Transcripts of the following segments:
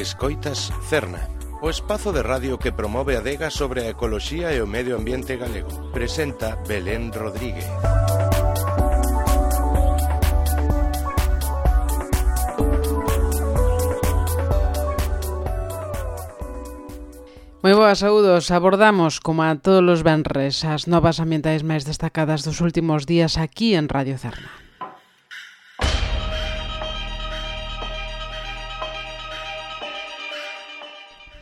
Escoitas Cerna, o espazo de radio que promove a adega sobre a ecoloxía e o medio ambiente galego. Presenta Belén Rodríguez. Moi boas, saúdos. Abordamos, como a todos os venres, as novas ambientais máis destacadas dos últimos días aquí en Radio Cerna.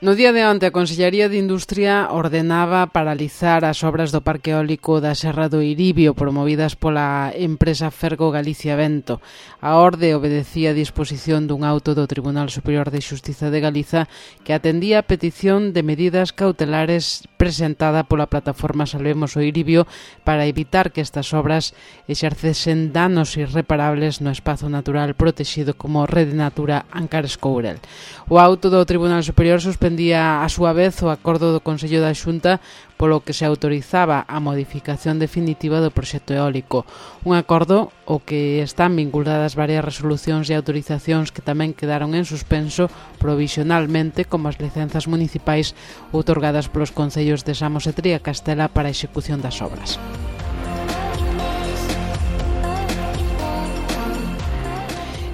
No día de onte, a Consellería de Industria ordenaba paralizar as obras do parque eólico da Serra do Iribio promovidas pola empresa Fergo Galicia Vento. A orde obedecía a disposición dun auto do Tribunal Superior de Xustiza de Galiza que atendía a petición de medidas cautelares presentada pola plataforma Salvemos o Iribio para evitar que estas obras exercesen danos irreparables no espazo natural protexido como Rede Natura Ancares Courel. O auto do Tribunal Superior suspendía a súa vez o acordo do Consello da Xunta polo que se autorizaba a modificación definitiva do proxecto eólico. Un acordo ao que están vinculadas varias resolucións e autorizacións que tamén quedaron en suspenso provisionalmente, como as licenzas municipais outorgadas polos concellos de Samos e Triacastela para a execución das obras.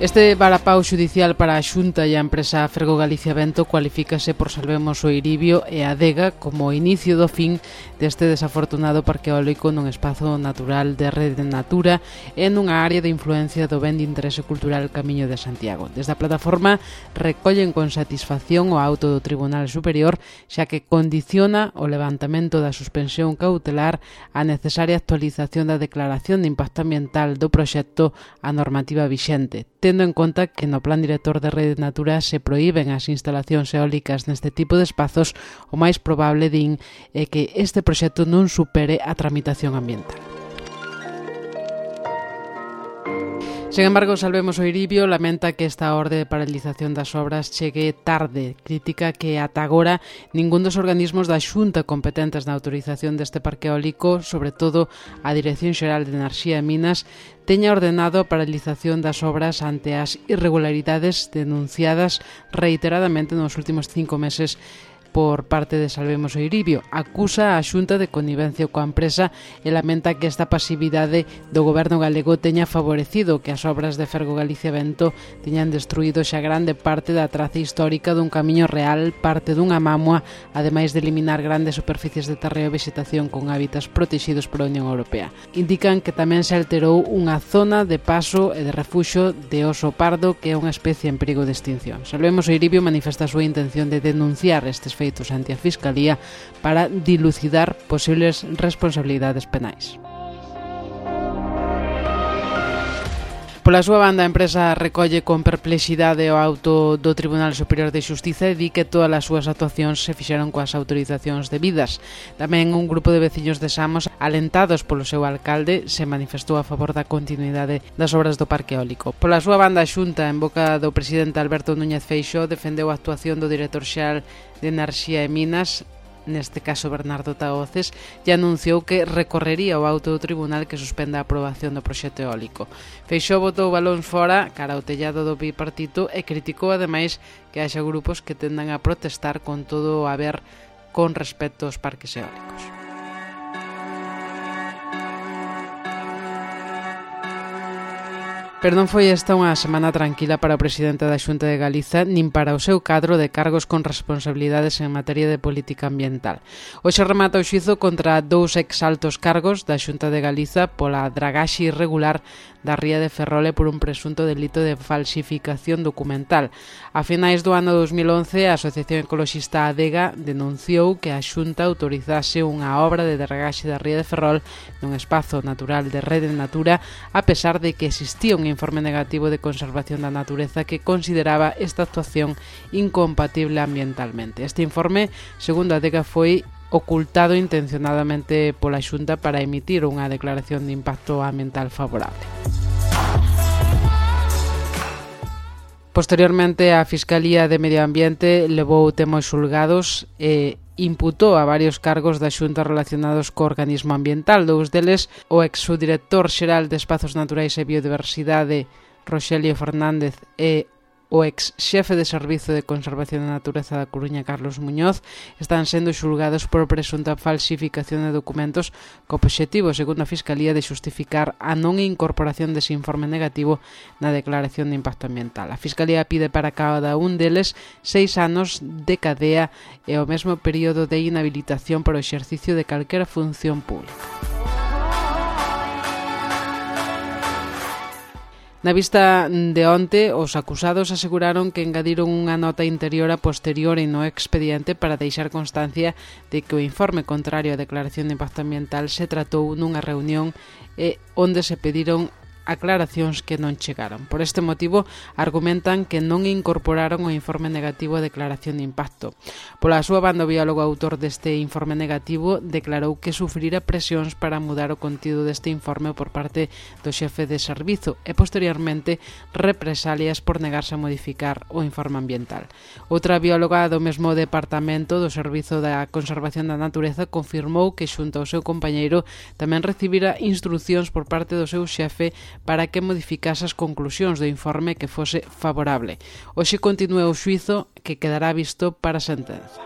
Este varapau xudicial para a Xunta e a empresa Fergo Galicia Vento cualifícase por Salvemos o Iribio e a adega como o inicio do fin deste desafortunado parque eólico nun espazo natural de Rede Natura e nunha área de influencia do ben de interese cultural Camiño de Santiago. Desde a plataforma recollen con satisfacción o auto do Tribunal Superior, xa que condiciona o levantamento da suspensión cautelar a necesaria actualización da declaración de impacto ambiental do proxecto á normativa vixente, tendo en conta que no Plan Director de Rede Natura se proíben as instalacións eólicas neste tipo de espazos, o máis probable, din, é que este proxecto non supere a tramitación ambiental. Sen embargo, Salvemos o Iribio lamenta que esta orde de paralización das obras chegue tarde. Critica que ata agora ningún dos organismos da Xunta competentes na autorización deste parque eólico, sobre todo a Dirección Xeral de Enerxía e Minas, teña ordenado a paralización das obras ante as irregularidades denunciadas reiteradamente nos últimos 5 meses por parte de Salvemos o Iribio. Acusa a Xunta de connivencia coa empresa e lamenta que esta pasividade do goberno galego teña favorecido que as obras de Fergo Galicia Vento teñan destruído xa grande parte da traza histórica dun camiño real, parte dunha mámoa, ademais de eliminar grandes superficies de terreo e vegetación con hábitats protegidos pola Unión Europea. Indican que tamén se alterou unha zona de paso e de refuxo de oso pardo, que é unha especie en perigo de extinción. Salvemos o Iribio manifesta a súa intención de denunciar estes feitos ante a Fiscalía para dilucidar posibles responsabilidades penais. Pola súa banda, a empresa recolle con perplexidade o auto do Tribunal Superior de Xustiza e di que todas as súas actuacións se fixeron coas autorizacións debidas. Tamén un grupo de veciños de Samos, alentados polo seu alcalde, se manifestou a favor da continuidade das obras do parque eólico. Pola súa banda, a Xunta, en boca do presidente Alberto Núñez Feixóo, defendeu a actuación do director xeral de Enerxía e Minas, neste caso Bernardo Tahoces, e anunciou que recorrería o auto do tribunal que suspenda a aprobación do proxecto eólico. Feixóo botou balóns fora cara ao tellado do bipartito e criticou ademais que haxa grupos que tendan a protestar con todo o haber con respecto aos parques eólicos. Pero non foi esta unha semana tranquila para o presidente da Xunta de Galiza nin para o seu cadro de cargos con responsabilidades en materia de política ambiental. Hoxe remata o xuízo contra 2 exaltos cargos da Xunta de Galiza pola dragaxe irregular da ría de Ferrol e por un presunto delito de falsificación documental. A finais do ano 2011, a Asociación Ecoloxista Adega denunciou que a Xunta autorizase unha obra de dragaxe da ría de Ferrol nun espazo natural de Rede Natura, a pesar de que existía un informe negativo de conservación da natureza que consideraba esta actuación incompatible ambientalmente. Este informe, segundo a Adega, foi ocultado intencionadamente pola Xunta para emitir unha declaración de impacto ambiental favorable. Posteriormente, a Fiscalía de Medio Ambiente levou o tema aos xulgados e imputou a varios cargos da Xunta relacionados co organismo ambiental. Dous deles, o ex-subdirector xeral de Espazos Naturais e Biodiversidade, Roxelio Fernández, e o ex xefe de Servizo de Conservación da Natureza da Coruña, Carlos Muñoz, están sendo xulgados por presunta falsificación de documentos co obxectivo, segundo a Fiscalía, de xustificar a non incorporación dese informe negativo na declaración de impacto ambiental. A Fiscalía pide para cada un deles 6 anos de cadea e o mesmo período de inhabilitación para o exercicio de calquera función pública. Na vista de onte, os acusados aseguraron que engadiron unha nota interior a posteriori no expediente para deixar constancia de que o informe contrario á declaración de impacto ambiental se tratou nunha reunión onde se pediron aclaracións que non chegaron. Por este motivo, argumentan que non incorporaron o informe negativo a declaración de impacto. Pola súa banda, o biólogo autor deste informe negativo declarou que sufrira presións para mudar o contido deste informe por parte do xefe de servizo e, posteriormente, represalias por negarse a modificar o informe ambiental. Outra bióloga do mesmo departamento do Servizo da Conservación da Natureza confirmou que, xunto ao seu compañeiro, tamén recibira instruccións por parte do seu xefe para que modificase as conclusións do informe que fose favorable. Hoxe continúa o xuízo que quedará visto para a sentenza.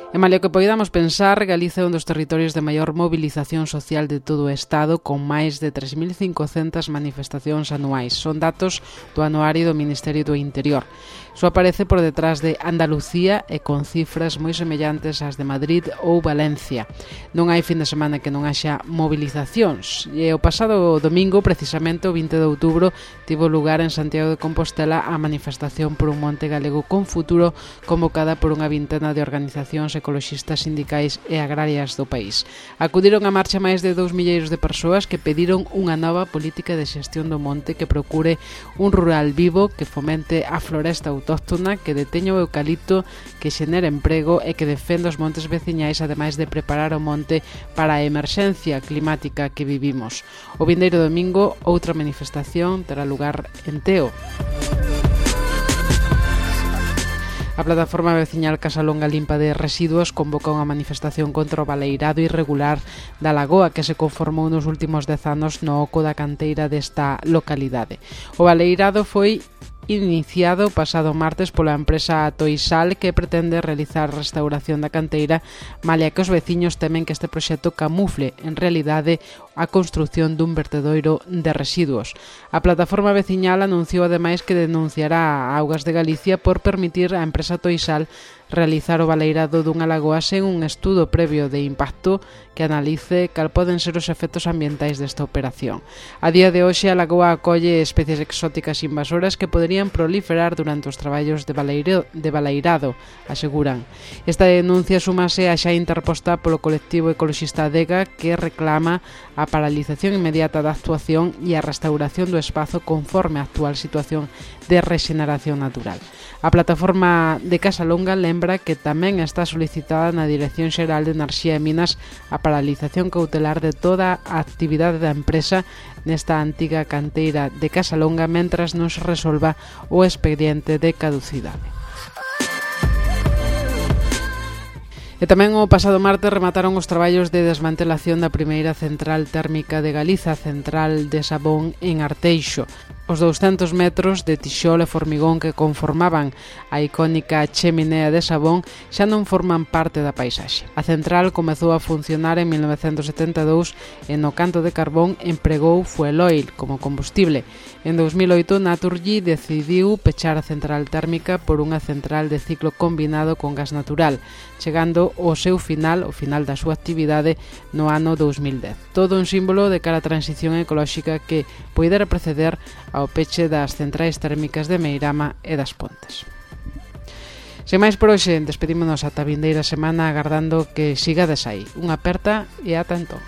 E malia que poidamos pensar, Galiza é un dos territorios de maior movilización social de todo o Estado, con máis de 3.500 manifestacións anuais. Son datos do anuario do Ministerio do Interior. Só aparece por detrás de Andalucía e con cifras moi semellantes ás de Madrid ou Valencia. Non hai fin de semana que non haxa movilizacións. E o pasado domingo, precisamente o 20 de outubro, tivo lugar en Santiago de Compostela a manifestación por un monte galego con futuro, convocada por unha vintena de organizacións ecoloxistas, sindicais e agrarias do país. Acudiron á marcha máis de 2 milleiros de persoas que pediron unha nova política de xestión do monte que procure un rural vivo, que fomente a floresta autóctona, que deteña o eucalipto, que xenere emprego e que defenda os montes veciñais, ademais de preparar o monte para a emerxencia climática que vivimos. O vindeiro domingo, outra manifestación terá lugar en Teo. A plataforma veciñal Casalonga Limpa de Residuos convoca unha manifestación contra o baleirado irregular da lagoa que se conformou nos últimos 10 anos no oco da canteira desta localidade. O baleirado foi iniciado pasado martes pola empresa Toisal, que pretende realizar restauración da canteira, malia que os veciños temen que este proxecto camufle en realidade a construción dun vertedoiro de residuos. A plataforma veciñal anunciou ademais que denunciará a Augas de Galicia por permitir á empresa Toisal realizar o baleirado dunha lagoa sen un estudo previo de impacto que analice cal poden ser os efectos ambientais desta operación. A día de hoxe, a lagoa acolle especies exóticas invasoras que poderían proliferar durante os traballos de baleirado, aseguran. Esta denuncia súmase a xa interposta polo colectivo ecoloxista Adega, que reclama a paralización inmediata da actuación e a restauración do espazo conforme a actual situación de rexeneración natural. A plataforma de Casalonga lembra que tamén está solicitada na Dirección Xeral de Enerxía e Minas a paralización cautelar de toda a actividade da empresa nesta antiga canteira de Casalonga mentras non se resolva o expediente de caducidade. E tamén o pasado martes remataron os traballos de desmantelación da primeira central térmica de Galiza, central de Sabón en Arteixo. Os 200 metros de tixol e formigón que conformaban a icónica cheminea de Sabón xa non forman parte da paisaxe. A central comezou a funcionar en 1972 e no canto de carbón empregou fuel oil como combustible. En 2008, Naturgy decidiu pechar a central térmica por unha central de ciclo combinado con gas natural, chegando ao seu final, o final da súa actividade, no ano 2010. Todo un símbolo de cara á transición ecolóxica que poidera preceder ao peche das centrais térmicas de Meirama e das Pontes. Sen máis por hoxe, despedímonos ata a vindeira semana agardando que sigades aí. Unha aperta e ata entón.